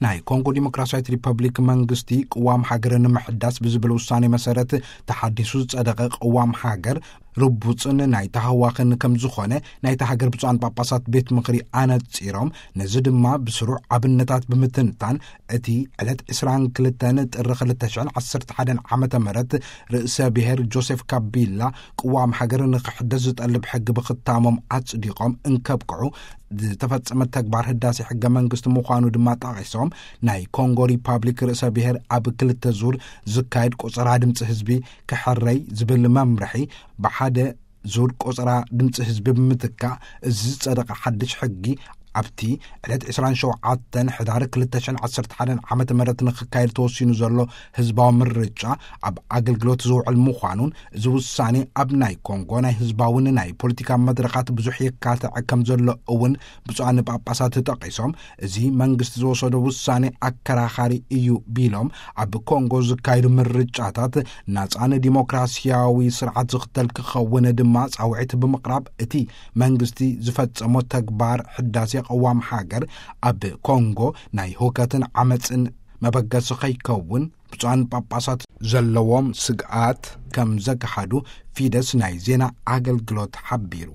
ናይ ኮንጎ ዲሞክራሲያዊት ሪፐብሊክ መንግስቲ ቅዋም ሃገር ንምሕዳስ ብዝብል ውሳኔ መሰረት ተሓዲሱ ዝጸደቐ ቅዋም ሃገር ርቡጽን ናይ ተሃዋኽን ከም ዝኾነ ናይታ ሃገር ብፁዓን ጳጳሳት ቤት ምኽሪ ኣነጺሮም፣ ነዚ ድማ ብስሩዕ ኣብነታት ብምትንታን እቲ ዕለት ዕስራን ክልተን ጥሪ ክልተ ሽሕን ዓሰርተ ሓደን ዓመተ ምህረት ርእሰ ብሔር ጆሴፍ ካቢላ ቅዋም ሃገር ንክሕደስ ዝጠልብ ሕጊ ብኽታሞም ኣጽዲቖም እንከብቅዑ ዝተፈጸመ ተግባር ህዳሴ ሕገ መንግስቲ ምዃኑ ድማ ጠቒሶም፣ ናይ ኮንጎ ሪፓብሊክ ርእሰ ብሔር ኣብ ክልተ ዙር ዝካየድ ቆጸራ ድምፂ ህዝቢ ክሕረይ ዝብል መምርሒ ብሓደ ዙር ቆጸራ ድምፂ ህዝቢ ብምትካእ፣ እዚ ዝጸደቐ ሓድሽ ሕጊ ኣብቲ ዕለት ዕስራን ሸውዓተን ሕዳር ክልተ ሽሕን ዓሰርተ ሓደን ዓመተ ምህረት ንክካየድ ተወሲኑ ዘሎ ህዝባዊ ምርጫ ኣብ ኣገልግሎት ዝውዕል ምዃኑን፣ እዚ ውሳኔ ኣብ ናይ ኮንጎ ናይ ህዝባውን ናይ ፖለቲካ መድረኻት ብዙሕ የካትዕ ከም ዘሎ እውን ብፁዓን ጳጳሳት ጠቒሶም፣ እዚ መንግስቲ ዝወሰዶ ውሳኔ ኣከራኻሪ እዩ ቢሎም፣ ኣብ ኮንጎ ዝካየዱ ምርጫታት ናጻን ዲሞክራሲያዊ ስርዓት ዝኽተል ክኸውን ድማ ጻውዒት ብምቕራብ፣ እቲ መንግስቲ ዝፈጸሞ ተግባር ሕዳሴ ቅዋም ሃገር ኣብ ኮንጎ ናይ ሁከትን ዓመጽን መበገሲ ከይከውን ብፁዓን ጳጳሳት ዘለዎም ስግኣት ከም ዘግሃዱ ፊደስ ናይ ዜና ኣገልግሎት ሓቢሩ።